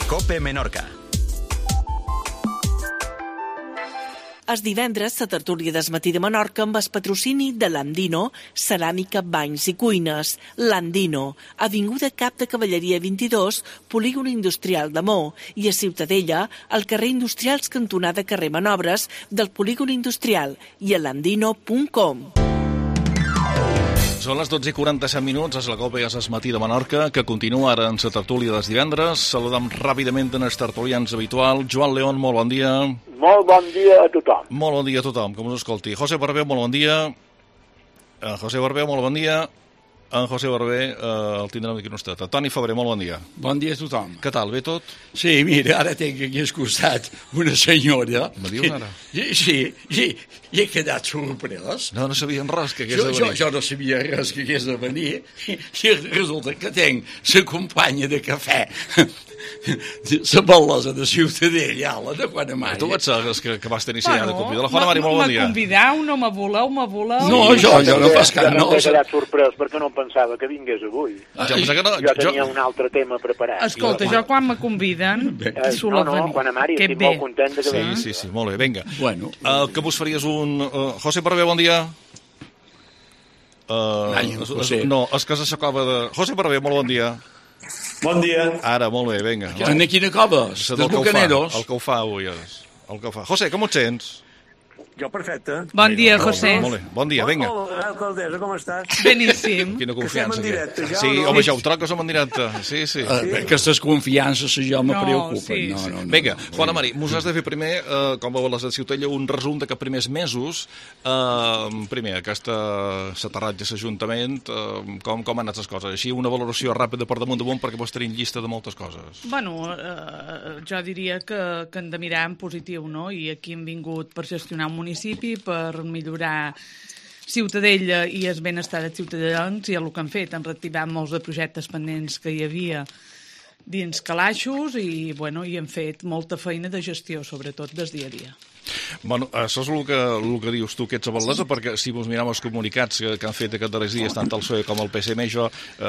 COPE Menorca. És divendres la tertúlia del matí de Menorca amb el patrocini de l'Andino, Ceràmica, Banys i Cuines. L'Andino, avinguda Cap de Cavalleria 22, polígon industrial de Mó, i a Ciutadella, al carrer Industrials cantonada carrer Manobres del polígon industrial, i a l'andino.com. Són les 12:47 minuts, és la COPE, és el matí de Menorca, que continua ara en la tertúlia dels divendres. Saludem ràpidament en els tertulians habitual. Joan León, molt bon dia. Molt bon dia a tothom. Molt bon dia a tothom, que us escolti. José Barber, molt bon dia. José Barber, molt bon dia. En José Barber, el tindrem aquí un estat. Toni Febrer, molt bon dia. Bon dia a tothom. Què tal, bé tot? Sí, mira, ara tinc aquí al costat una senyora. Me dius ara? Sí, i he quedat sorprès. No sabien res que hagués de venir. Jo no sabia res que hagués de venir i resulta que tinc la companya de cafè, la bel·losa de Ciutadella, de Juana Mari. Tu ets que vas tenir ja de convidar. La Juana Mari, molt bon dia. Me convideu, no me voleu? No, jo no fas cap. No m'he quedat sorprès perquè no pensava que vingués avui. Jo tenia un altre tema preparat. Escolta, jo quan me conviden suelo venir. Juana Mari, estic molt content de que vingui. Sí, molt bé, vinga. Bueno. Que vos faries un... José Barber, bon dia. José. No, és que s'acaba de... José Barber, molt bon dia. Bon dia. Ara, molt bé, vinga. En quina coves? Dels Bucaneros? El que ho fa avui és. El que ho fa. José, com et sents? Jo perfecte. Bon dia, José. Molt bé, bon dia, vinga. Hola, alcaldessa, com estàs? Beníssim. Quina confiança. Que estem en directe, ja, sí, no? home, ja ho troc que som en directe. Sí. Aquestes confiances jo me preocupen. Sí. No. Vinga, Juana Mari, mos has de fer primer, com veu les de Ciutadella, un resum de que primers mesos, primer, aquesta s'aterratge l'Ajuntament, com han anat les coses? Així, una valoració ràpida per damunt perquè vos tenim llista de moltes coses. Bueno, jo diria que hem de mirar en positiu, no? I aquí hem vingut per gestionar un municipi, per millorar Ciutadella i el benestar dels ciutadans, i el que han fet, han reactivat molts de projectes pendents que hi havia dins calaixos i hem fet molta feina de gestió, sobretot des dia a dia. Bueno, això és el que dius tu, que ets a Valesa, perquè si vos mirem els comunicats que han fet aquests darrers dies, tant el PSOE com el PSM,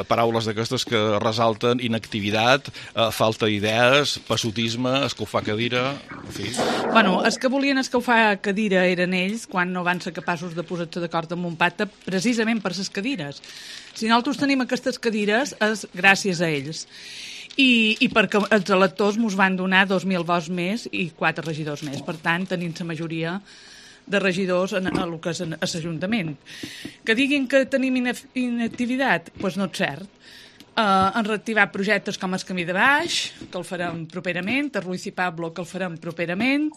paraules d'aquestes que resalten inactivitat, falta d'idees, passotisme, escalfar cadira, en fi. Bueno, els que volien escalfar cadira eren ells, quan no van ser capaços de posar-se d'acord amb un pacte, precisament per les cadires. Si nosaltres tenim aquestes cadires, és gràcies a ells. I perquè els electors ens van donar 2.000 vots més i 4 regidors més. Per tant, tenim la majoria de regidors a el que és l'Ajuntament. Que diguin que tenim inactivitat, doncs no és cert. Han reactivat projectes com el Camí de Baix, que el farem properament, el Ruiz i Pablo, que el farem properament,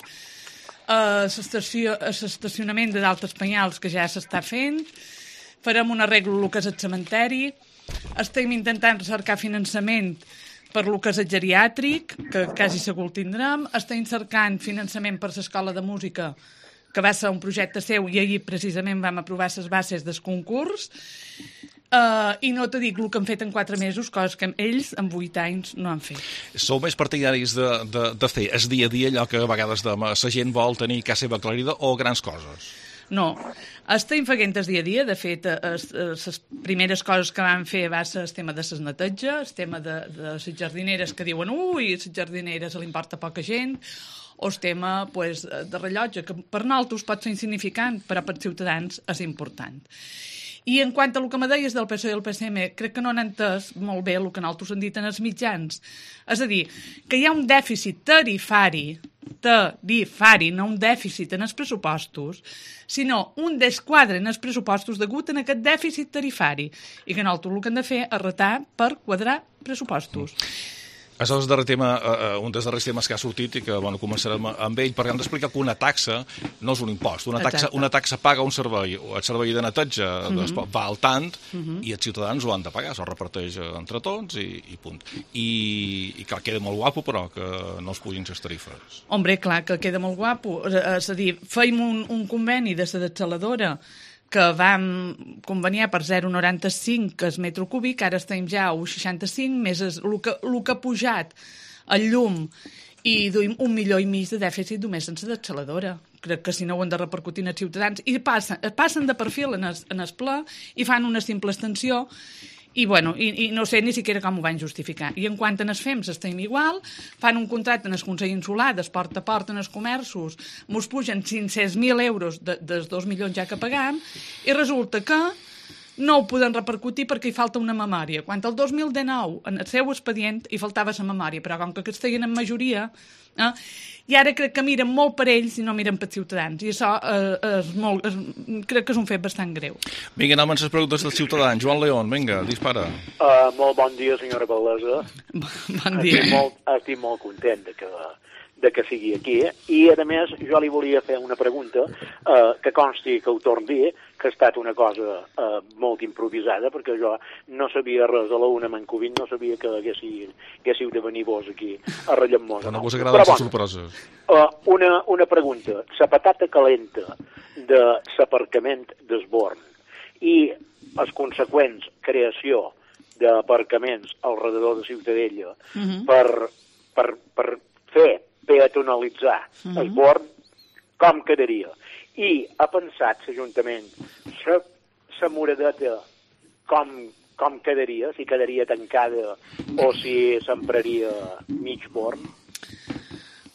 l'estacionament de d'Altes Penyals, que ja s'està fent, farem un arreglo el que és el cementeri, estem intentant cercar finançament per lo que és el geriàtric, que quasi segur el tindrem. Estem cercant finançament per l'escola de música, que va ser un projecte seu, i ahir precisament vam aprovar les bases del concurs. I no te dic el que han fet en 4 mesos, coses que ells en 8 anys no han fet. Sou més partidaris de fer el dia a dia allò que a vegades la gent vol tenir casa seva aclarida o grans coses? No, estem fent el dia a dia. De fet, les primeres coses que vam fer va ser el tema de les neteja, el tema de les jardineres que diuen les jardineres li importa poca gent, o el tema de rellotge, que per nosaltres pot ser insignificant, però per ciutadans és important. I en quant a el que me deies del PSOE i el PSM, crec que no han entès molt bé el que nosaltres han dit en els mitjans. És a dir, que hi ha un dèficit tarifari, no un dèficit en els pressupostos, sinó un desquadre en els pressupostos degut a aquest dèficit tarifari, i que nosaltres el que hem de fer és retar per quadrar pressupostos. Això és un dels darrers temes que ha sortit i que començarem amb ell, perquè hem d'explicar que una taxa no és un impost. Una taxa paga un servei, el servei de neteja va al tant i els ciutadans ho han de pagar, s'ho reparteix entre tots i punt. I clar, queda molt guapo, però que no es pugin les tarifes. Hombre, clar que queda molt guapo. És a dir, feim un conveni de la dessaladora que vam conveniar per 0,95 que és metro cúbic, ara estem ja a 1,65, més el que ha pujat el llum, i duim 1,5 milions de dèficit només en la dessaladora. Crec que si no ho han de repercutir als ciutadans. I passen de perfil en el ple i fan una simple extensió I, bueno, i no sé ni siquiera com ho van justificar. I en quant a les FEMS estem igual, fan un contracte en el Consell Insular, des porta a porta en els comerços, mos pugen 500.000 euros dels 2 milions ja que pagam, i resulta que no ho poden repercutir perquè hi falta una memòria. Quan el 2019, en el seu expedient, hi faltava la memòria, però com que aquests feien en majoria, i ara crec que miren molt per ells i no miren per Ciutadans, i això crec que és un fet bastant greu. Vinga, anem amb les preguntes dels ciutadans. Joan León, vinga, dispara. Molt bon dia, senyora Valdesa. Bon dia. Estic molt content de que sigui aquí, i a més jo li volia fer una pregunta que consti que ho torno a dir, que ha estat una cosa molt improvisada, perquè jo no sabia res a la una Mancovint, no sabia que haguéssiu de venir vos aquí a Rellemós. No vos agraden les sorpreses. Una pregunta. La patata calenta de l'aparcament d'Esborn i la conseqüent creació d'aparcaments al redador de Ciutadella per fer peatonalitzar Esborn, com quedaria? I ha pensat l'Ajuntament la moradeta com quedaria, si quedaria tancada o si s'empraria mig Born?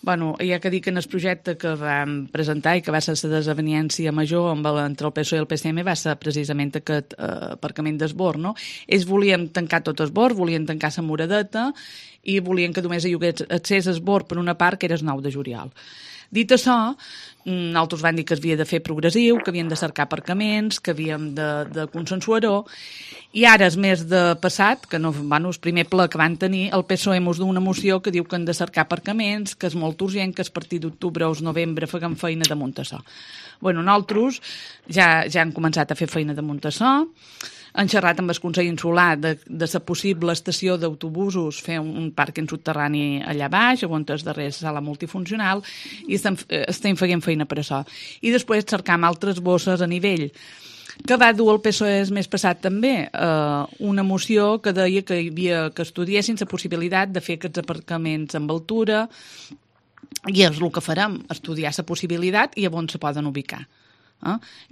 Bueno, hi ha que dir que en el projecte que vam presentar i que va ser la desaveniència major entre el PSOE i el PSM va ser precisament aquest aparcament d'Esborn, no? Ells volien tancar tot Esborn, volien tancar la moradeta i volien que només hi hagués accés a Esborn per una part, que era el 9 de juliol. Dit això, nosaltres vam dir que es havia de fer progressiu, que havíem de cercar aparcaments, que havíem de consensuar-ho, i ara, el mes de passat, que no, bueno, el primer ple que van tenir, el PSOE mos du una moció que diu que han de cercar aparcaments, que és molt urgent, que a partir d'octubre o novembre fem feina damunt això. Bueno, nosaltres ja hem començat a fer feina damunt això, han xerrat amb el Consell Insular de la possible estació d'autobusos, fer un pàrquing subterrani allà baix, on és darrere la sala multifuncional, i estem fent feina per això. I després cercam altres bosses a nivell, que va dur el PSOE el mes passat també, una moció que deia que estudiessin la possibilitat de fer aquests aparcaments amb altura, i és el que farem, estudiar la possibilitat i on se poden ubicar.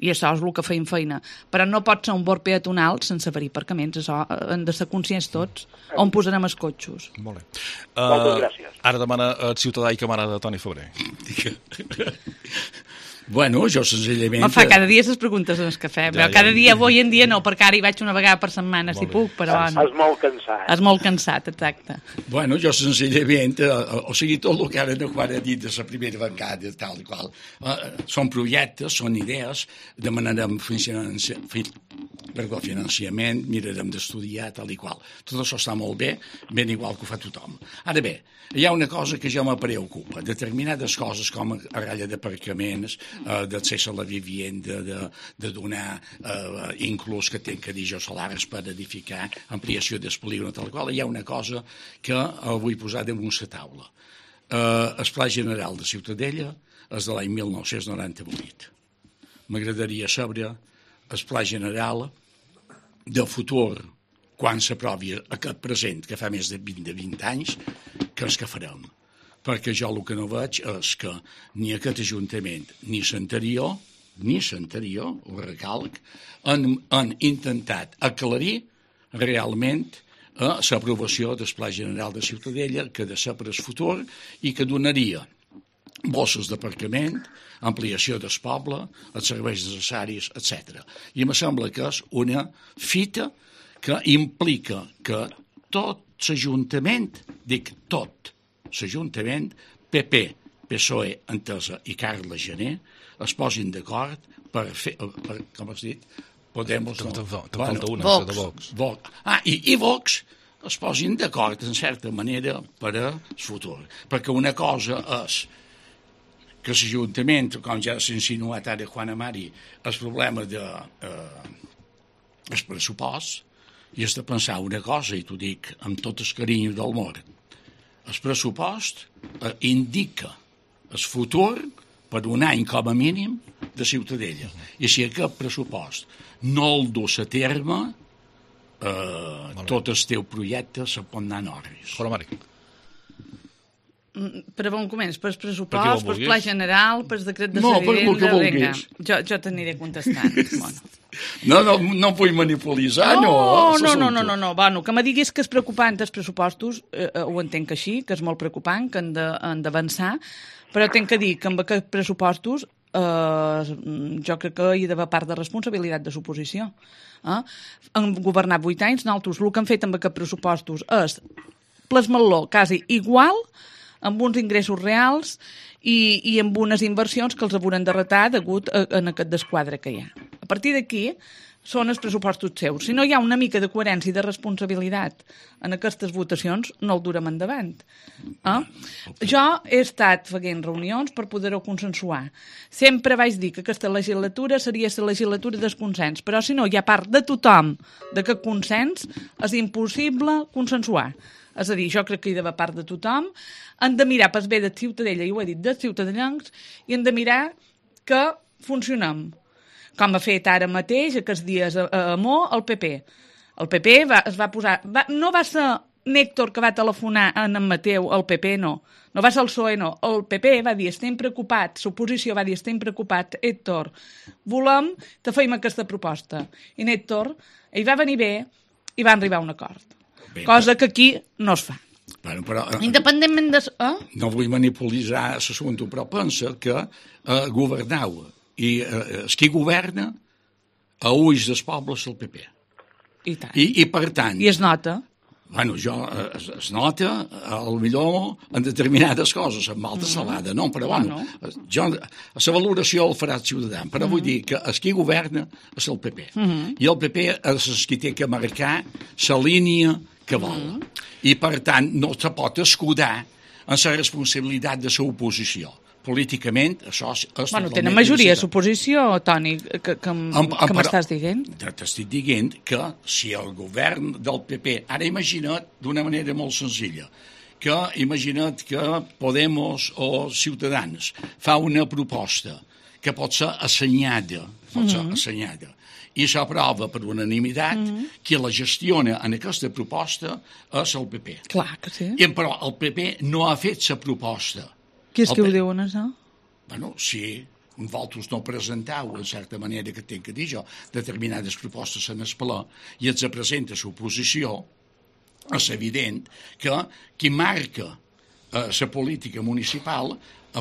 I això és el que feim feina, però no pot ser un bord peatonal sense haver-hi aparcaments, això han de ser conscients tots on posarem els cotxos. Molt bé. Moltes gràcies. Ara demana el ciutadà i camarada Toni Febrer. Bueno, jo senzillament... Me fa cada dia les preguntes en el cafè, però cada dia, avui en dia no, perquè ara hi vaig una vegada per setmana, si puc, però... És molt cansat. És molt cansat, exacte. Bueno, jo senzillament, o sigui, tot el que ara no quan he dit de la primera bancada, tal i qual, són projectes, són idees, demanarem finançament, mirarem d'estudiar, tal i qual. Tot això està molt bé, ben igual que ho fa tothom. Ara bé, hi ha una cosa que ja me preocupa, determinades coses com a ratlla d'aparcaments, d'accés a la vivienda, de donar inclús que tenc que dir jo salaris per edificar, ampliació del polígon, tal qual, hi ha una cosa que vull posar damunt la taula. El Pla General de Ciutadella és de l'any 1998. M'agradaria saber el Pla General de futur, quan s'aprovi aquest present, que fa més de 20 anys, que és que farem. Perquè jo el que no veig és que ni aquest Ajuntament ni l'anterior, ho recalc, han intentat aclarir realment l'aprovació del Pla General de Ciutadella, que ha de ser per al futur i que donaria bosses d'aparcament, ampliació del poble, els serveis necessaris, etc. I em sembla que és una fita que implica que tot l'Ajuntament, dic tot, l'Ajuntament, PP, PSOE, Entesa i Carles Gené es posin d'acord per fer, com has dit, Podemos... Te'n falta una, de Vox. I Vox es posin d'acord, en certa manera, per al futur. Perquè una cosa és que l'Ajuntament, com ja s'ha insinuat ara Juan Amari, el problema de el pressupost, i has de pensar una cosa, i t'ho dic amb tot el carinyo del món. El pressupost indica el futur per un any com a mínim de Ciutadella. I si aquest pressupost no el dus a terme, tot el teu projecte se pot anar en orris. Juan Amari. Per on comences? Per pressupost, per pla general, per decret de vivenda? No, per el que vulguis. Jo t'aniré contestant. Bueno. No vull manipulitzar, no. No. Bueno, que me diguis que és preocupant els pressupostos, ho entenc així, que és molt preocupant, que han d'avançar, però tinc que dir que amb aquests pressupostos jo crec que hi ha d'haver part de responsabilitat de l'oposició. Han governat 8 anys, nosaltres el que han fet amb aquests pressupostos és plasmar-lo quasi igual, amb uns ingressos reals i amb unes inversions que els hauran de retar degut a aquest desquadre que hi ha. A partir d'aquí són els pressupostos seus. Si no hi ha una mica de coherència i de responsabilitat en aquestes votacions, no el durem endavant. Jo he estat fent reunions per poder-ho consensuar. Sempre vaig dir que aquesta legislatura seria la legislatura del consens, però si no hi ha part de tothom d'aquest consens, és impossible consensuar. És a dir, jo crec que hi ha d'haver part de tothom, han de mirar pel bé de Ciutadella, i ho he dit, dels ciutadans, i han de mirar que funcionem. Com ha fet ara mateix, aquests dies a Mo, el PP. El PP es va posar... No va ser Néctor que va telefonar a en Mateu, el PP, no. No va ser el PSOE, no. El PP va dir, estem preocupats, l'oposició va dir, estem preocupats, Héctor, volem que fem aquesta proposta. I Néctor, ell va venir bé i va arribar a un acord. Cosa que aquí no es fa. Bueno, però, independentment de... No vull manipulitzar l'assumpte, però pensa que governau i qui governa a ulls dels pobles el PP. I tant. I per tant... I es nota. Bueno, es nota, potser en determinades coses, amb alta salada, no? Però, bueno, jo, la valoració el farà el ciutadà, però vull dir que el qui governa és el PP. I el PP és el qui té que marcar la línia que vol. I, per tant, no se pot escudar en la responsabilitat de l'oposició. Políticament, això és totalment... Tenen majoria l'oposició, Toni, que m'estàs dient? T'estic dient que si el govern del PP... Ara imagina't d'una manera molt senzilla, que imagina't que Podemos o Ciutadans fa una proposta que pot ser assenyada, i s'aprova per unanimitat, qui la gestiona en aquesta proposta és el PP. Clar que sí. Però el PP no ha fet la proposta. Qui és que ho diuen, això? Bueno, si vosaltres no presentau, en certa manera que tinc que dir jo, determinades propostes en el ple i els presenta l'oposició, és evident que qui marca la política municipal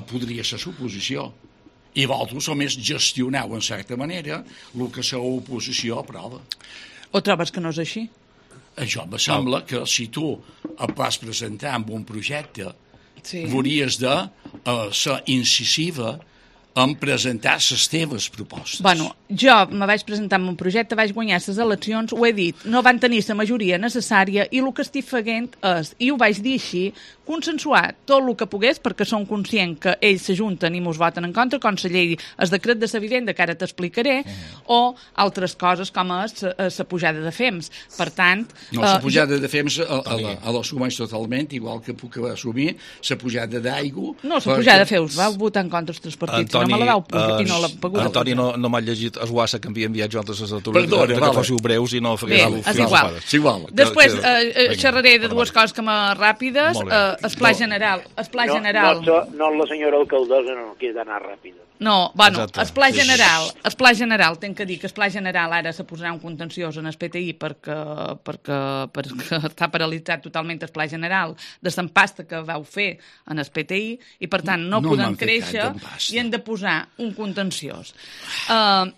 podria ser l'oposició. I vosaltres només gestioneu, en certa manera, el que l'oposició aprova. O trobes que no és així? Això me sembla que si tu et vas presentar amb un projecte, hauries de ser incisiva en presentar les teves propostes. Bueno, jo me vaig presentar amb un projecte, vaig guanyar les eleccions, ho he dit, no van tenir la majoria necessària i el que estic fent és, i ho vaig dir així, consensuar tot el que pogués, perquè som conscients que ells s'ajunten i mos voten en contra, com la llei, el decret de la vivenda, que ara t'explicaré, o altres coses com és la pujada de FEMS. Per tant... No, la pujada de FEMS l'assumeix totalment, igual que puc assumir la pujada d'aigua... No, la pujada de FEMS, vau votar en contra els tres partits, no me la vau i no l'ha pagut. Antoni, no m'ha llegit el WhatsApp que havia enviat jo altres tertúlies, que fóssiu breus i no fegueu és igual. Després xerraré de dues coses que ràpides. El pla general. No, la senyora alcaldessa no queda anar ràpida. No, bueno, el pla general, tenc que dir que el pla general ara se posarà un contenciós en el PTI perquè està paralitzat totalment el pla general de l'empasta que vau fer en el PTI i per tant no podem créixer i hem de posar un contenciós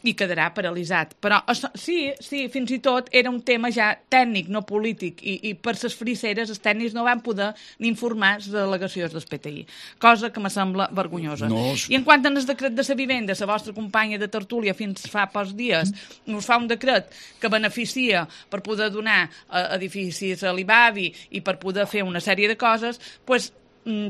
i quedarà paralitzat. Però sí, fins i tot era un tema ja tècnic, no polític, i per les friseres els tècnics no van poder ni informar les delegacions del PTI, cosa que me sembla vergonyosa. I en quant a el decret de la vivenda, la vostra companya de tertúlia fins fa pocs dies us fa un decret que beneficia per poder donar edificis a l'IBAVI i per poder fer una sèrie de coses, doncs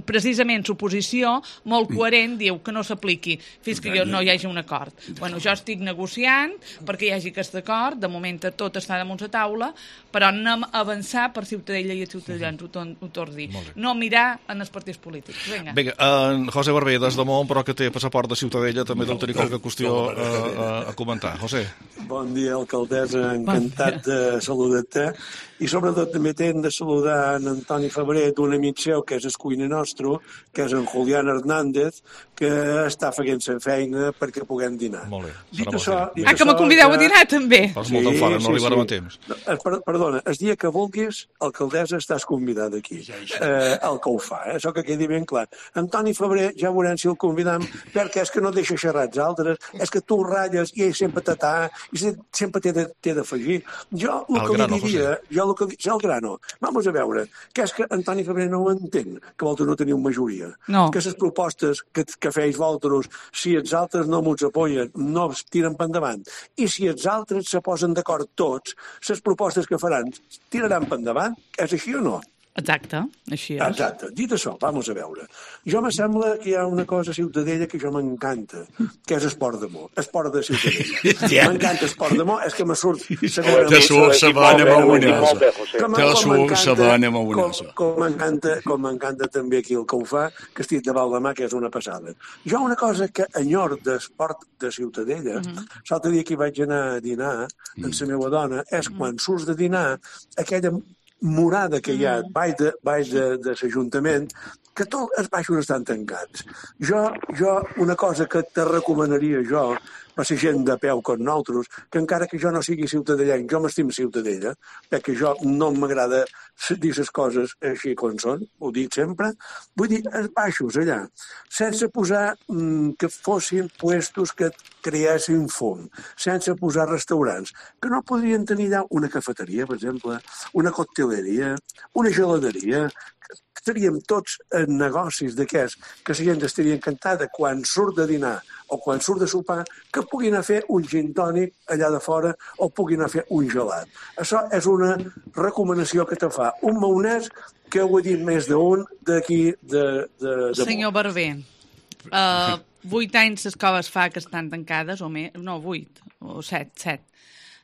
precisament l'oposició, molt coherent, diu que no s'apliqui fins que no hi hagi un acord. Bueno, jo estic negociant perquè hi hagi aquest acord, de moment tot està damunt la taula, però anem a avançar per Ciutadella i els ciutadans, ho torno a dir. No mirar en els partits polítics. Vinga, en José Barber, des de Mont, però que té passaport de Ciutadella, també deu tenir qualque qüestió a comentar. José. Bon dia, alcaldessa, encantat de saludar-te. I sobretot també t'hem de saludar en Antoni Febrer, d'un amic seu, que és el cuiner veïna nostre, que és en Julián Hernández, que està fent la feina perquè puguem dinar. Molt bé. Dit això, que me convideu a dinar, també. Fas molt d'enfora, no arribarem a temps. Perdona, el dia que vulguis, alcaldessa, estàs convidat aquí. El que ho fa, això que quedi ben clar. Antoni Febrer, ja veurem si el convidam, perquè és que no deixa xerrar els altres, és que tu ratlles i ell sempre t'atà, i sempre t'he d'afegir. Jo el que li diria, el grano, vamos a veure, que és que Antoni Febrer no ho entén, que vosaltres no teniu majoria. No. Que les propostes que feis vosaltres, si els altres no m'ho apoyen, no es tiren per endavant. I si els altres se posen d'acord tots, les propostes que faran tiraran per endavant. És així o no? Exacte, així és. Exacte. Dit això, vamos a veure. Jo me sembla que hi ha una cosa a Ciutadella que jo m'encanta, que és esport d'amor. Esport de Ciutadella. M'encanta esport d'amor, és que me surt... Te surt la bona maonesa. Te surt la bona maonesa. Com m'encanta també aquí el que ho fa, que estic de mà, que és una passada. Jo una cosa que enyor d'esport de Ciutadella, l'altre dia que vaig anar a dinar amb la meva dona, és quan surts de dinar, aquella morada que hi ha baix de l'Ajuntament, que tots els baixos estan tancats. Jo, una cosa que te recomanaria jo, per la gent de peu com nosaltres, que encara que jo no sigui ciutadellenc, jo m'estim Ciutadella, perquè jo no m'agrada dir les coses així com són, ho dic sempre, vull dir, els baixos allà, sense posar que fossin puestos que creessin fum, sense posar restaurants, que no podrien tenir allà una cafeteria, per exemple, una cocteleria, una geladeria, estaríem tots en negocis d'aquests, que la gent estaria encantada quan surt de dinar o quan surt de sopar, que puguin anar a fer un gin tònic allà de fora o puguin anar a fer un gelat. Això és una recomanació que te fa un maonès que ho he dit més d'un d'aquí de Senyor Barber, 8 anys les coves fa que estan tancades, o més, no, 8, o 7.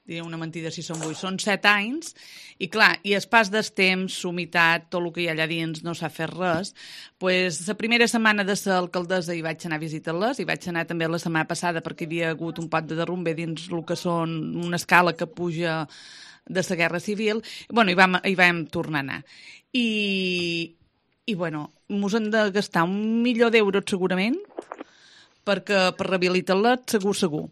Diria una mentida si són 8, són 7 anys, i clar, i el pas del temps, humitat, tot el que hi ha allà dins, no s'ha fet res. Pues, la primera setmana de l'alcaldessa hi vaig anar a visitar-les, i vaig anar també la setmana passada perquè hi havia hagut un pot de derrumbe dins el que són una escala que puja de la Guerra Civil. Bueno, hi vam tornar a anar. I bueno, mos hem de gastar €1.000.000 segurament per rehabilitar-les, segur.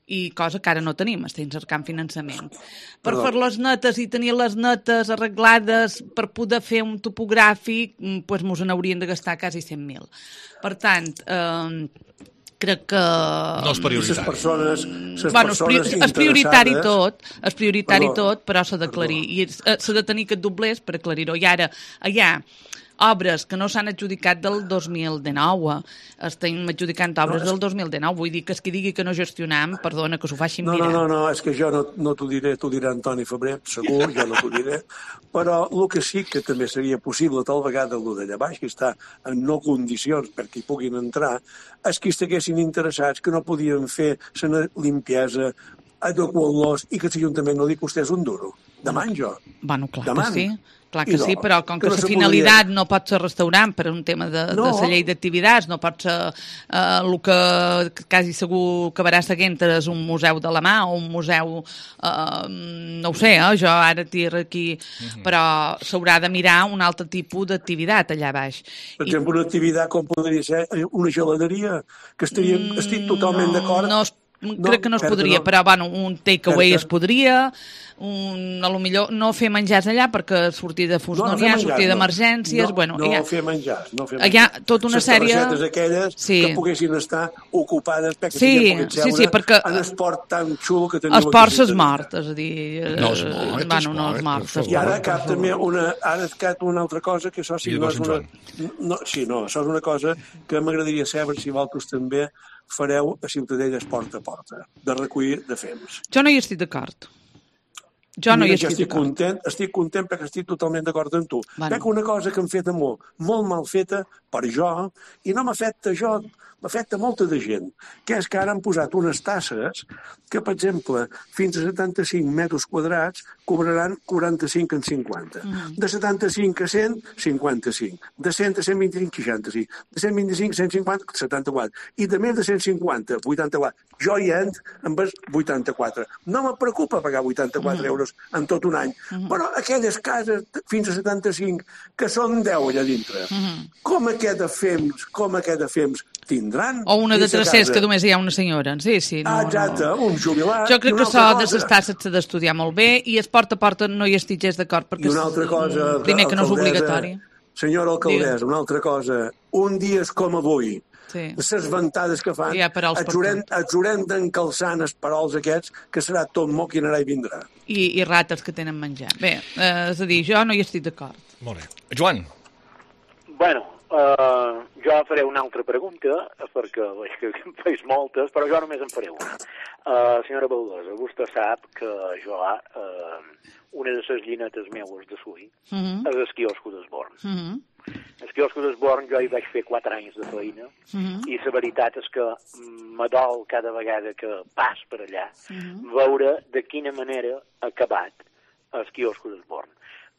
I cosa que ara no tenim, estem cercant finançament. Per fer les netes i tenir les netes arreglades per poder fer un topogràfic, doncs mos n'haurien de gastar quasi 100.000. Per tant, crec que... No és prioritari. És prioritari tot, però s'ha d'aclarir. I s'ha de tenir aquest doblers per aclarir-ho. I ara, allà, obres que no s'han adjudicat del 2019. Estem adjudicant obres del 2019. Vull dir que qui digui que no gestionam, perdona, que s'ho facin mirar. No, és que jo no t'ho diré, t'ho dirà Antoni Febrer, segur, jo no t'ho diré. Però el que sí que també seria possible, tal vegada, el d'allà baix, que està en no condicions perquè hi puguin entrar, és que estiguessin interessats, que no podien fer la limpiesa, adequar-los i que l'Ajuntament no li costés un duro. Deman jo. Bueno, clar que sí. Clar que sí, però com que la finalitat no pot ser restaurant per un tema de la llei d'activitats, no pot ser el que quasi segur acabarà seguint és un museu de la mà o un museu, no ho sé, jo ara tiro aquí, però s'haurà de mirar un altre tipus d'activitat allà baix. Per exemple, una activitat com podria ser una geladeria, que estic totalment d'acord. Crec que no es podria, però bueno, un takeaway es podria, a lo millor no fer menjars allà perquè sortir de fus no n'hi ha, sortir d'emergències... No fer menjars. Hi ha tota una sèrie... Les receptes aquelles que poguessin estar ocupades perquè puguin seure en esport tan xulo que teniu aquí. Esport és mort, és a dir... No és mort. No és mort. I ara cap també una altra cosa que això sí no és una... això és una cosa que m'agradaria saber si vosaltres també fareu a Ciutadella porta a porta, de recollir de fems. Jo no hi estic d'acord. Estic content perquè estic totalment d'acord amb tu. Veig una cosa que hem fet molt mal feta per jo, i no m'afecta jo, m'afecta molta de gent, que és que ara han posat unes tasses que, per exemple, fins a 75 metres quadrats cobraran 45 en 50. De 75 a 100, 55. De 100 a 125, 65. De 125 a 150, 74. I de més de 150, 84. Jo hi entro amb els 84. No me preocupa pagar 84 euros en tot un any. Però aquelles cases fins a 75, que són 10 allà dintre, com aquest de fems tindran? O una de tercers, que només hi ha una senyora. Sí, no, exacte, un jubilat. Jo crec que això de les tasses s'ha d'estudiar molt bé i es porta a porta no hi estic gens d'acord, perquè una altra cosa, primer que no és obligatori. Senyora alcaldessa, una altra cosa. Un dia és com avui. Sí. Les ventades que fan, haurem d'encalçar els parols aquests, que serà tot moc i anarà i vindrà. I rates que tenen menjar. Bé, és a dir, jo no hi estic d'acord. Molt bé. Joan. Bueno, jo faré una altra pregunta, perquè veig que en feis moltes, però jo només en faré una. Senyora Baldosa, vostè sap que jo, una de les llinetes meues de Sui, és el quiosco d'Esborn. El quiosco d'Esborn jo hi vaig fer 4 anys de feina, i la veritat és que m'adol cada vegada que pas per allà veure de quina manera ha acabat el quiosco d'Esborn.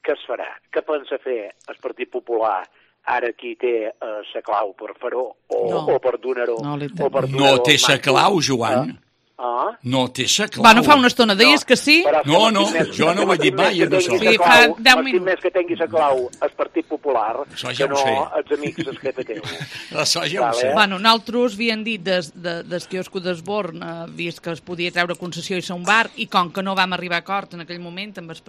Què es farà? Què pensa fer el Partit Popular ara qui té la clau per fer-ho o per donar-ho? No té la clau, Joan. No té la clau. Bueno, fa una estona deies que sí. No, jo no ho he dit mai. Fa 10 minuts. Més que tingui la clau el Partit Popular, que no els amics del PP. Això ja ho sé. Bueno, nosaltres havien dit del quiosco d'Esborn, vist que es podia treure concessió i ser un bar, i com que no vam arribar a acord en aquell moment amb els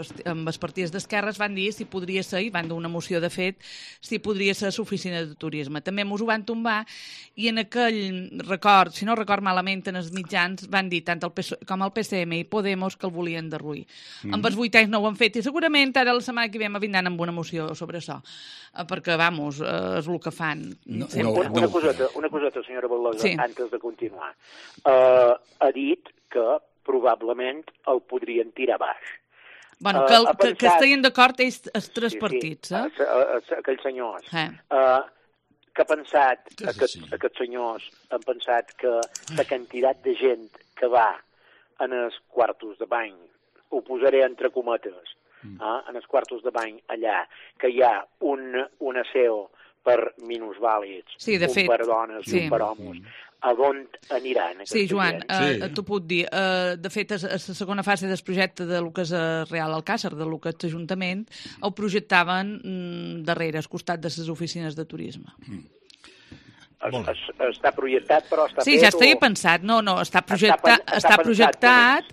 partits d'esquerres, van dir si podria ser, i van dur una moció de fet, si podria ser l'oficina de turisme. També mos ho van tombar, i en aquell record, si no record malament, en els mitjans van dir tant el PSOE com el PCM i Podemos que el volien derruir. Amb els 8 anys no ho han fet i segurament ara la setmana que ve me vindran amb una moció sobre això, perquè, vamos, és el que fan. Una coseta, senyora Baldosa, antes de continuar. Ha dit que probablement el podrien tirar baix. Bueno, que estiguin d'acord els 3 partits, aquells senyors. Que ha pensat, aquests senyors han pensat que la quantitat de gent que va en els quartos de bany, ho posaré entre cometes, en els quartos de bany allà, que hi ha un aseo per minusvàlids, un per dones i un per homes, a on aniran? Sí, Joan, t'ho puc dir. De fet, la segona fase del projecte de lo que és Real Alcàsser, de lo que és l'Ajuntament, ho projectaven darrere, al costat de les oficines de turisme. Està projectat, però està fet? Sí, ja estava pensat. No, està projectat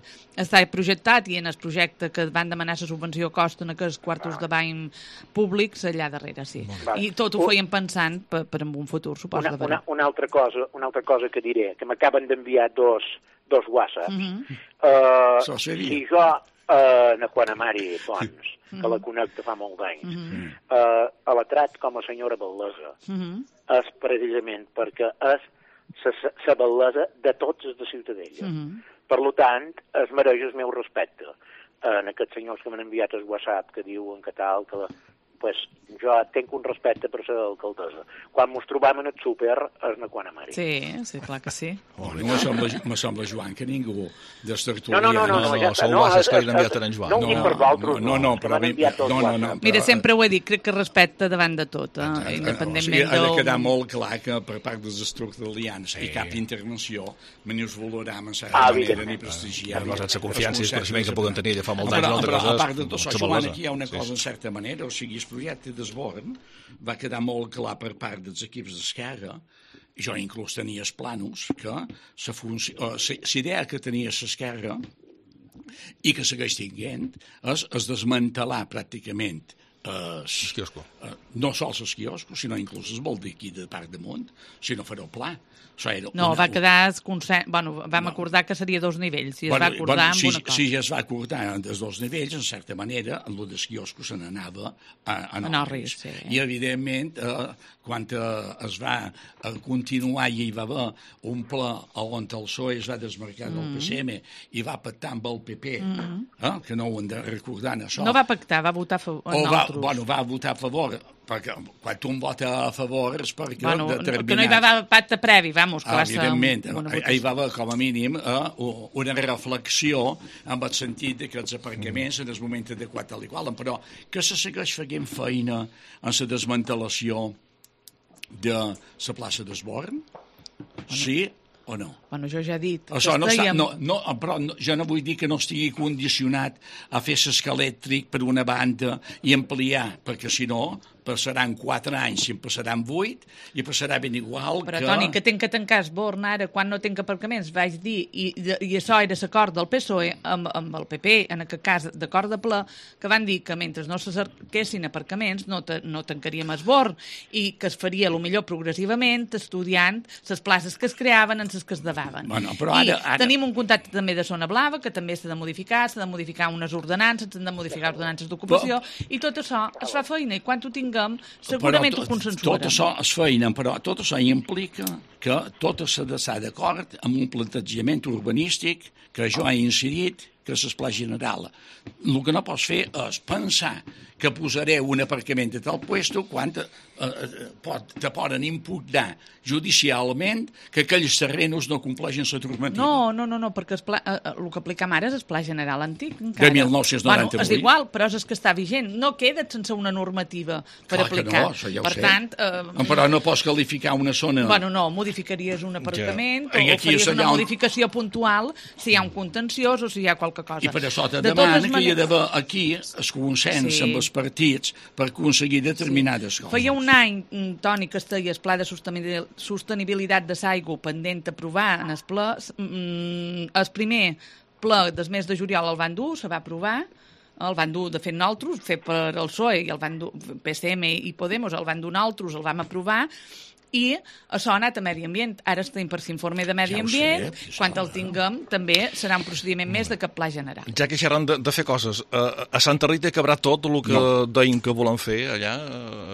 i en el projecte que van demanar la subvenció costen aquests quartos de bany públics allà darrere, sí. I tot ho feien pensant per en un futur, suposo. Una altra cosa que diré, que m'acaben d'enviar dos whatsapps. Si jo, na Quanamari Pons, que la connecta fa molt d'anys, la trat com a senyora Baldosa, és precisament perquè és la bellesa de tots els de Ciutadella. Per tant, es mereix el meu respecte. En aquests senyors que m'han enviat el WhatsApp que diuen que tal, que pues jo tinc un respecte per ser alcaldessa. Quan mos trobam en el súper és na Quanamari. Sí, clar que sí. Me sembla, Joan, que ningú d'estertulia... No, és que l'han enviat en Joan. No ho dic per vosaltres, no. Mira, sempre ho he dit, crec que respecte davant de tot, independentment ha de quedar molt clar que per part dels estertulians i cap intervenció me us valoram en certa manera ni prestigiar. La confiança i els coneixements que poden tenir ja fa molts anys. Però a part de tot això, Joan, aquí hi ha una cosa en certa manera, o sigui, el projecte d'Esborn va quedar molt clar per part dels equips d'Esquerra, jo inclús tenia els planos, que la idea que tenia l'Esquerra i que segueix tinguent és desmantelar pràcticament no sols els quioscos, sinó inclús es vol dir aquí de part damunt, si no farà el pla. Va quedar... vam acordar que seria 2 nivells, i es va acordar amb una cosa. Si ja es va acordar dels 2 nivells, en certa manera, en el dels quioscos se n'anava a Norris. I, evidentment, quan es va continuar i hi va haver un pla on el PSOE es va desmarcar del PCM i va pactar amb el PP, que no ho hem de recordar, això. No va pactar, va votar a favor. nosaltres. Bueno, va votar a favor, perquè quan un vota a favor és perquè determinat... Que no hi va haver pacte previ, vamos, que va ser... Evidentment, hi va haver com a mínim una reflexió en el sentit que els aparcaments en el moment adequat tal i qual, però que se segueix fent feina en la desmantelació de la plaça d'Esborn? Sí o no? Bueno, jo ja he dit... Això però jo no vull dir que no estigui condicionat a fer l'esca elèctric per una banda i ampliar, perquè si no passaran 4 anys i en passaran 8 i passarà ben igual però, Toni, que tenc que tancar Esborn ara quan no tenc aparcaments, vaig dir, i això era l'acord del PSOE amb el PP, en aquest cas d'acord de ple, que van dir que mentre no se cerquessin aparcaments no tancaríem Esborn i que es faria millor progressivament estudiant les places que es creaven en les que es davaven. Bueno, però ara... Tenim un contacte també de zona blava que també s'ha de modificar unes ordenances, s'han de modificar ordenances d'ocupació i tot això es fa feina i quan ho tinguem segurament ho consensuarem. Tot això es feina, però tot això implica que tot s'ha d'estar d'acord amb un plantejament urbanístic que jo he incidit, que és el pla general. El que no pots fer és pensar que posaré un aparcament a tal puesto quan te poden impugnar judicialment que aquells terrenos no compleixen la normativa. No, perquè el que aplicam ara és el pla general antic. De 1998. Bueno, és igual, però és que està vigent. No queda sense una normativa per aplicar. No, això ja ho sé. Però no pots qualificar una zona... Bueno, no, modificaries un aparcament o faries una modificació puntual si hi ha un contenciós o si hi ha qualque cosa. I per això te demana que hi ha d'haver aquí el consens amb els partits per aconseguir determinades coses. Feia un any, Toni, que estaia el pla de sostenibilitat de l'aigua pendent d'aprovar en el ple. El primer ple del mes de juliol el van dur, se va aprovar, el van dur, de fet, nosaltres, fet per el PSOE, i el van dur, PSM i Podemos, el van dur nosaltres, el vam aprovar, i això ha anat a Medi Ambient. Ara estem per l'informe de Medi Ambient. Quan el tinguem, també serà un procediment més de cap pla general. Ja que xerran de fer coses, a Santa Rita acabarà tot el que deien que volen fer allà?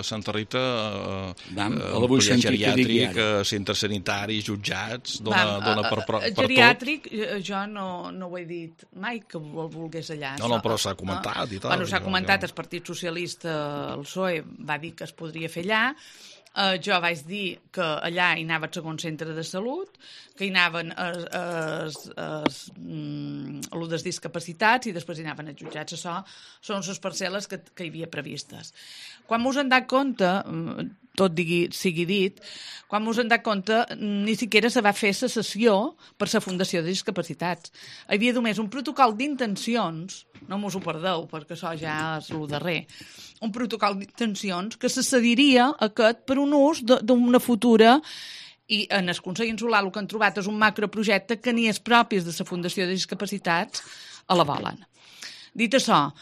A Santa Rita, geriàtric, centres sanitaris, jutjats, dona per tot? Geriàtric, jo no ho he dit mai que el volgués allà. No, però s'ha comentat i tal. Bueno, s'ha comentat, el Partit Socialista, el PSOE, va dir que es podria fer allà. Jo vaig dir que allà hi anava el segon centre de salut, que hi anaven els discapacitats i després hi anaven els jutjats. Això són les parcel·les que hi havia previstes. Quan mos hem dat compte, tot sigui dit, quan mos hem dat compte ni siquiera se va fer la sessió per la Fundació de Discapacitats. Hi havia només un protocol d'intencions, no mos ho perdeu perquè això ja és el darrer, un protocol d'intencions que se cediria aquest per un ús d'una futura i en el Consell Insular el que han trobat és un macroprojecte que ni els propis de la Fundació de Discapacitats la volen. Dit això,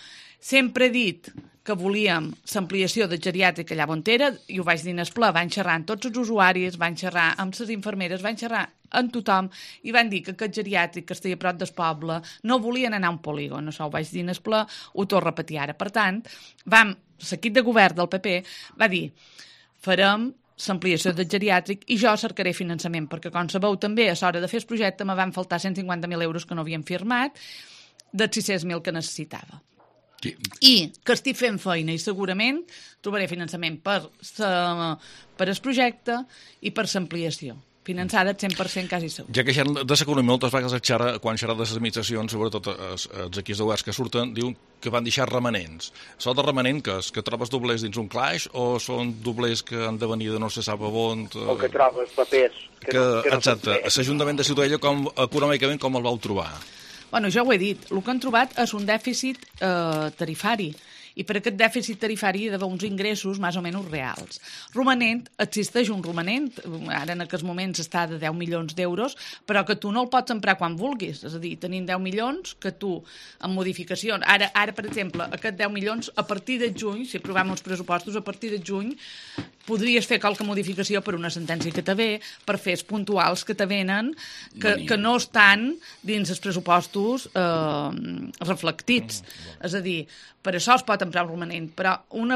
sempre he dit que volíem l'ampliació de geriàtrica allà on era, i ho vaig dir en el ple, van xerrar amb tots els usuaris, van xerrar amb les infermeres, van xerrar amb tothom, i van dir que aquest geriàtric que estigui a prop del poble no volien anar a un polígon. Això ho vaig dir en el ple, ho torno a repetir ara. Per tant, l'equip de govern del PP va dir farem l'ampliació del geriàtric i jo cercaré finançament, perquè com sabeu també a l'hora de fer el projecte me van faltar 150.000 euros que no havien firmat dels 600.000 que necessitava. Sí. I que estic fent feina i segurament trobaré finançament per el projecte i per l'ampliació. Finançada 100% quasi segur. Ja que xerren de l'economia, moltes vegades quan xerren de les administracions, sobretot els equips de governs que surten, diuen que van deixar remanents. Sol de remanent que trobes doblers dins un claix o són doblers que han de venir de no se sap on? O que trobes papers. Exacte. L'Ajuntament de Ciutadella econòmicament com el vau trobar? Bueno, ja ho he dit. El que han trobat és un dèficit tarifari. I per aquest dèficit tarifari hi ha d'haver uns ingressos més o menys reals. Romanent, existeix un romanent, ara en aquests moments està de 10 milions d'euros, però que tu no el pots emprar quan vulguis. És a dir, tenim 10 milions que tu, amb modificacions... Ara, per exemple, aquest 10 milions, a partir de juny, si aprovem uns pressupostos, a partir de juny podries fer qualque modificació per una sentència que te ve, per fets puntuals que te venen, que no estan dins els pressupostos reflectits. És a dir, per això es pot emprar un romanent, però un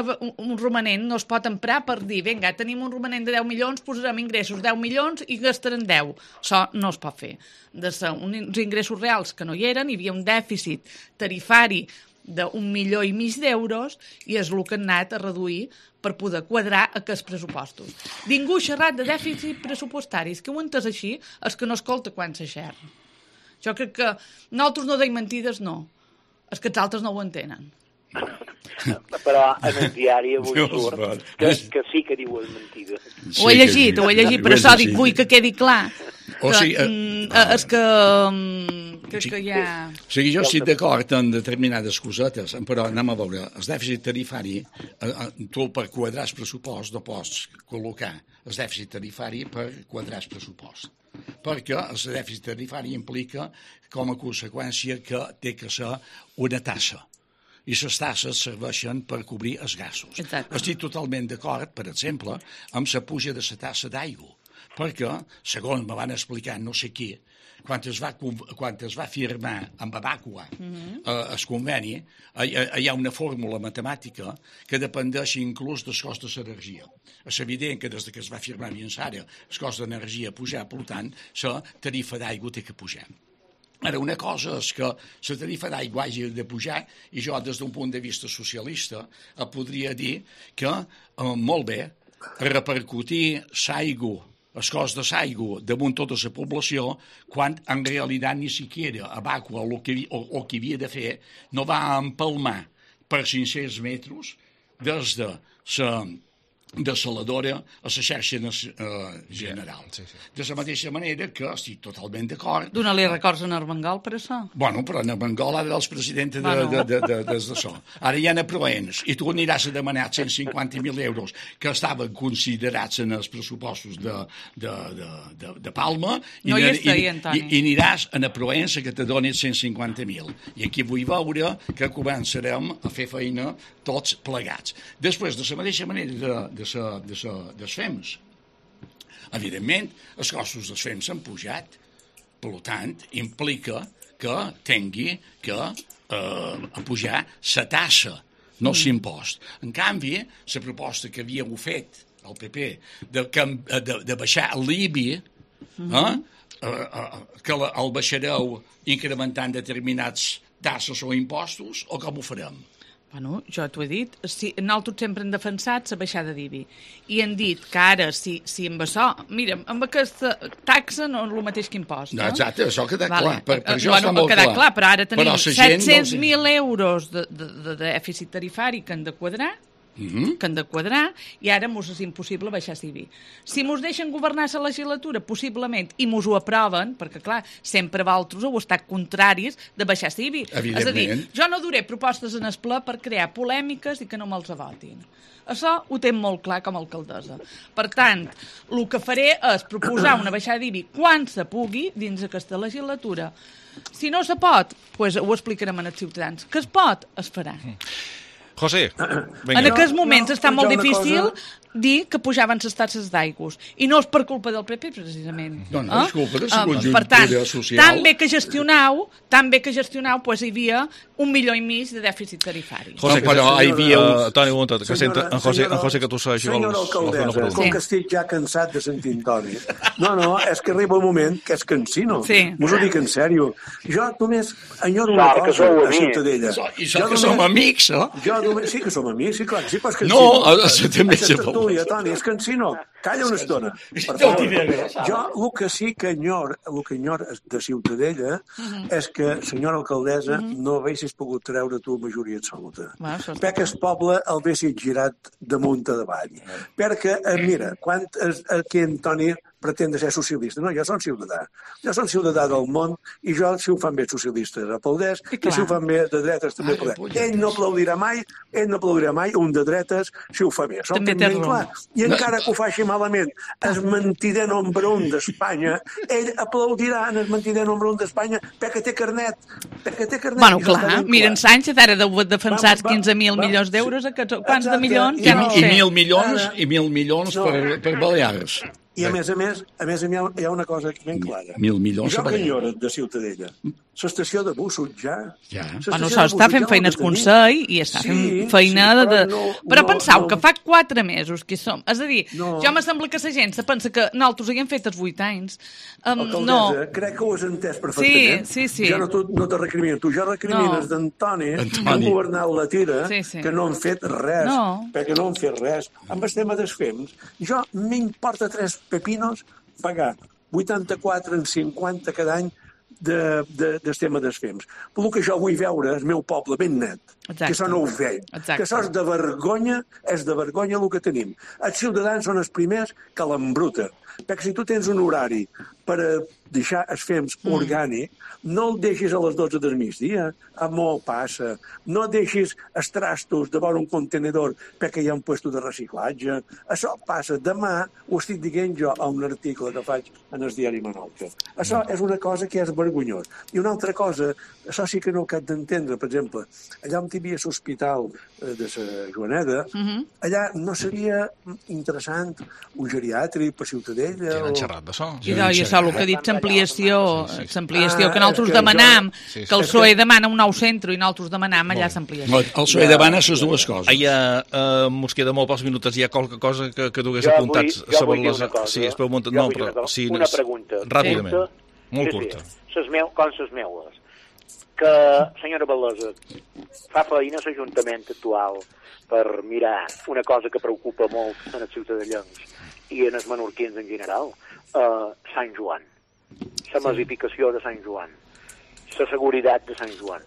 romanent no es pot emprar per dir, vinga, tenim un romanent de 10 milions, posarem ingressos 10 milions i gastarem 10. Això no es pot fer. De ser uns ingressos reals que no hi eren, hi havia un dèficit tarifari d'1,5 milió d'euros i és el que han anat a reduir per poder quadrar aquests pressupostos. Ningú ha xerrat de dèficit pressupostaris, que ho han entès així, és que no escolta quan se xerra. Jo crec que nosaltres no deim mentides, no. És que els altres no ho entenen. Però en el diari avui surt que sí que diuen mentides. Ho he llegit, però això dic, vull que quedi clar. És que crec que hi ha... O sigui, jo estic d'acord en determinades cosetes, però anem a veure, el dèficit tarifari, tu per quadrar el pressupost no pots col·locar el dèficit tarifari per quadrar el pressupost, perquè el dèficit tarifari implica com a conseqüència que té que ser una tassa, i les tasses serveixen per cobrir els gastos. Exacte. Estic totalment d'acord, per exemple, amb la puja de la tassa d'aigua, perquè, segons me van explicar no sé qui, quan es va firmar amb Abacua el conveni, hi ha una fórmula matemàtica que dependeix inclús dels costos d'energia. És evident que des que es va firmar fins ara el cost d'energia ha pujat, per tant, la tarifa d'aigua té que pujar. Ara, una cosa és que la tarifa d'aigua hagi de pujar i jo, des d'un punt de vista socialista, podria dir que molt bé repercutir l'aigua, el cost de l'aigua damunt tota la població, quan en realitat ni siquiera Abacua o que havia de fer no va empalmar per 500 metres des de la desaladora a la xarxa general. Sí. De la mateixa manera que estic totalment d'acord... Dóna-li records a Armengol per això? Bueno, però Armengol ara és president d'això. Ara hi ha Proens, i tu aniràs a demanar 150.000 euros que estaven considerats en els pressupostos de Palma no hi estigui, Antoni. I aniràs a Proens que te donin 150.000. I aquí vull veure que començarem a fer feina tots plegats. Després, de la mateixa manera dels FEMS. Evidentment, els costos dels FEMS han pujat. Per tant, implica que tingui que pujar la tassa, no l'impost. En canvi, la proposta que havíeu fet el PP de baixar l'IBI, que el baixareu incrementant determinats tasses o impostos, o com ho farem? Bueno, jo t'ho he dit, nosaltres sempre hem defensat la baixada d'IBI i hem dit que ara, si amb això, mira, amb aquesta taxa no és el mateix que impost, no? Exacte, això queda clar, per això està molt clar. Però ara tenim 700.000 euros de dèficit tarifari que han de quadrar, i ara mos és impossible baixar l'IBI. Si mos deixen governar la legislatura, possiblement, i mos ho aproven, perquè, clar, sempre vosaltres heu estat contraris de baixar l'IBI. És a dir, jo no duré propostes en el ple per crear polèmiques i que no me'ls votin. Això ho té molt clar com a alcaldessa. Per tant, el que faré és proposar una baixada d'IBI quan se pugui dins aquesta legislatura. Si no se pot, doncs ho explicarem als ciutadans. Que es pot, es farà. José, vinga. En aquests moments està molt difícil dir que pujaven les taxes d'aigües. I no és per culpa del PP, precisament. No, és culpa de la conjuntura social. Tan bé que gestionau, doncs hi havia 1,5 milió de dèficit tarifari. José, però hi havia... Toni, un moment, que sent en José que tu segueixi. Senyora alcaldessa, com que estic ja cansat de sentir Toni. No, és que arriba un moment que és cansino. M'ho dic en sèrio. Jo només enyoro una cosa a Ciutadella. I això que som amics, no? Sí que som amics, sí, clar, sí, però és que... No, també se pot. Toni, és cansino. Calla una estona. Jo el que sí que enyor de Ciutadella és que, senyora alcaldessa, no haguessis pogut treure tu majoria absoluta. Perquè el poble el haguessis girat damunt a davall. Perquè, mira, quan aquí en Toni pretén de ser socialista. No, jo som ciutadà. Jo som ciutadà del món i jo, si ho fan bé socialistes, aplaudeix, i si ho fan bé de dretes també aplaudeix. Ell no aplaudirà mai un de dretes si ho fa bé. Això ho tinc ben clar. I encara que ho faci malament, el mentider nombre 1 d'Espanya, ell aplaudirà en el mentider nombre 1 d'Espanya perquè té carnet. Bueno, clar, mira, en Sánchez ara deu defensar 15.000 milions d'euros, quants de milions? Ja no ho sé. I 1.000 milions per Balears. I a més hi ha una cosa ben clara. 1.000 milions. Jo que enyoro de Ciutadella, l'estació de bussos ja. Bueno, això està fent feina el Consell i està fent feina de... Però pensau que fa 4 mesos que hi som. És a dir, jo m'assembla que la gent se pensa que nosaltres haguem fet els 8 anys. Alcaldessa, crec que ho has entès perfectament. Sí. Jo no te recrimino. Tu ja recrimines d'Antoni, que han governat la tira, que no han fet res. Perquè no han fet res. Amb el tema dels fems, jo m'importa 3 pepinos pagar 84 en 50 cada any del tema dels fems. Pel que jo vull veure el meu poble ben net, que això no ho veig, que això és de vergonya el que tenim. Els ciutadans són els primers que l'embruten, perquè si tu tens un horari per deixar els fems orgànic, no el deixis a les 12 del migdia, molt passa, no deixis els trastos davant un contenedor perquè hi ha un puesto de reciclatge, això passa. Demà ho estic dient jo a un article que faig en el diari Menorca. Això és una cosa que és vergonyós. I una altra cosa, això sí que no ho cap d'entendre, per exemple, allà on hi havia l'hospital de la Joaneda, allà no seria interessant un geriàtric per Ciutadella? Ja n'han xerrat d'això. I això, el que ha dit l'ampliació que nosaltres demanam, que el PSOE demana un nou centre i nosaltres demanam allà l'ampliació. El PSOE demana les dues coses. Mos queda molt pocs minuts. Hi ha qualque cosa que dugués apuntats? Jo vull dir una cosa. Sí, es pot muntar... Una pregunta. Ràpidament. Molt curta. Com les meues. Que, senyora Balosa, fa feina l'Ajuntament actual per mirar una cosa que preocupa molt en els ciutadans i en els menorquins en general, Sant Joan. La massificació de Sant Joan. La seguretat de Sant Joan.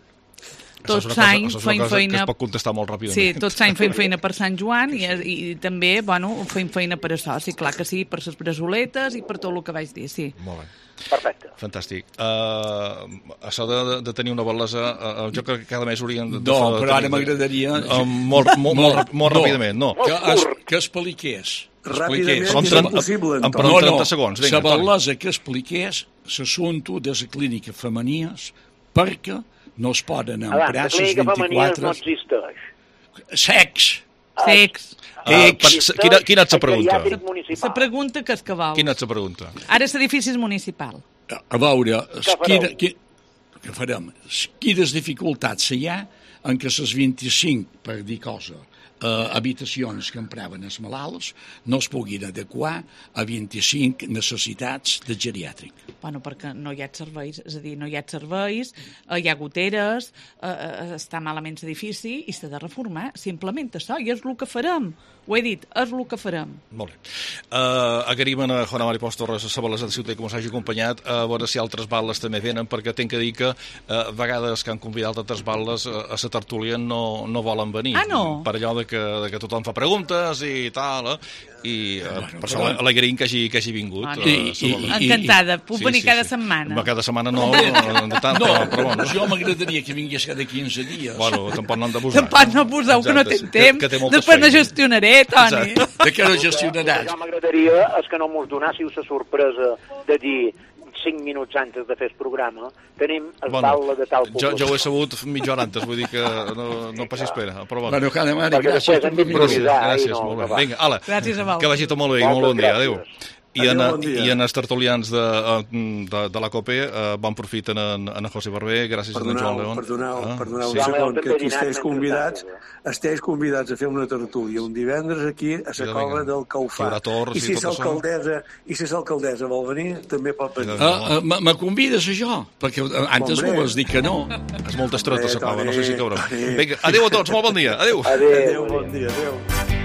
Tots l'any fem feina... Que es pot contestar molt ràpidament. Sí, tots l'any fem feina per Sant Joan i també, fem feina per això, sí, clar que sí, per les braçoletes i per tot el que vaig dir, sí. Molt bé. Perfecte. Fantàstic. Això de tenir una bel·lesa, jo crec que cada mes hauríem de... No, però ara m'agradaria... Molt ràpidament, no. Que expliqués. Ràpidament és impossible. Em pregunto 30 segons. La bel·lesa que expliqués l'assumpte de les clíniques femenines perquè no es poden emprar les 24... La clínica femenines no existeix. Sex. Quina és la pregunta? La pregunta que és que vol. Quina és la pregunta? Ara l'edifici és municipal. A veure, què farem? Quines dificultats hi ha en què les 25, per dir cosa, habitacions que empraven els malalts no es puguin adequar a 25 necessitats de geriàtric. Bueno, perquè no hi ha serveis, és a dir, no hi ha serveis, hi ha goteres, està malament l'edifici i s'ha de reformar, simplement això, i és el que farem. Ho he dit, és el que farem. Molt bé. Agraïm a Juana Mari Pons Torres, a Bel·lesa de Ciutat, que ens hagi acompanyat, a veure si altres balles també venen, perquè tinc que dir que a vegades que han convidat altres balles a la tertúlia no volen venir. Ah, no? Per allò de que tothom fa preguntes i tal, i per això l'agraïm que hagi vingut. Encantada, puc venir cada setmana. Cada setmana no, però bueno. Jo m'agradaria que vingués cada 15 dies. Bueno, tampoc no han d'abusar. Tampoc no abuseu, que no tinc temps. Després no gestionaré, Toni. De què no gestionaràs? Jo m'agradaria que no mos donássiu la sorpresa de dir 5 minuts antes de fer el programa, tenim el taula de tal població. Jo ho he sabut mitja hora antes, vull dir que no passi espera. Però bueno, Juana Mari, gràcies per l'improvisar. Gràcies, molt bé. Vinga, ala, que vagi tot molt bé i molt bon dia. Adéu. I en els tertulians de la COPE, bon profit en José Barber, gràcies a en Joan León. Perdoneu un segon, que aquí esteu convidats a fer una tertúlia un divendres aquí a la cova del Caufà. I si l'alcaldessa vol venir, també pot venir. Me convides a jo? Perquè antes m'ho vas dir que no. És molt estreta la cova, no sé si caurà. Vinga, adéu a tots, molt bon dia. Adéu. Adéu, bon dia, adéu.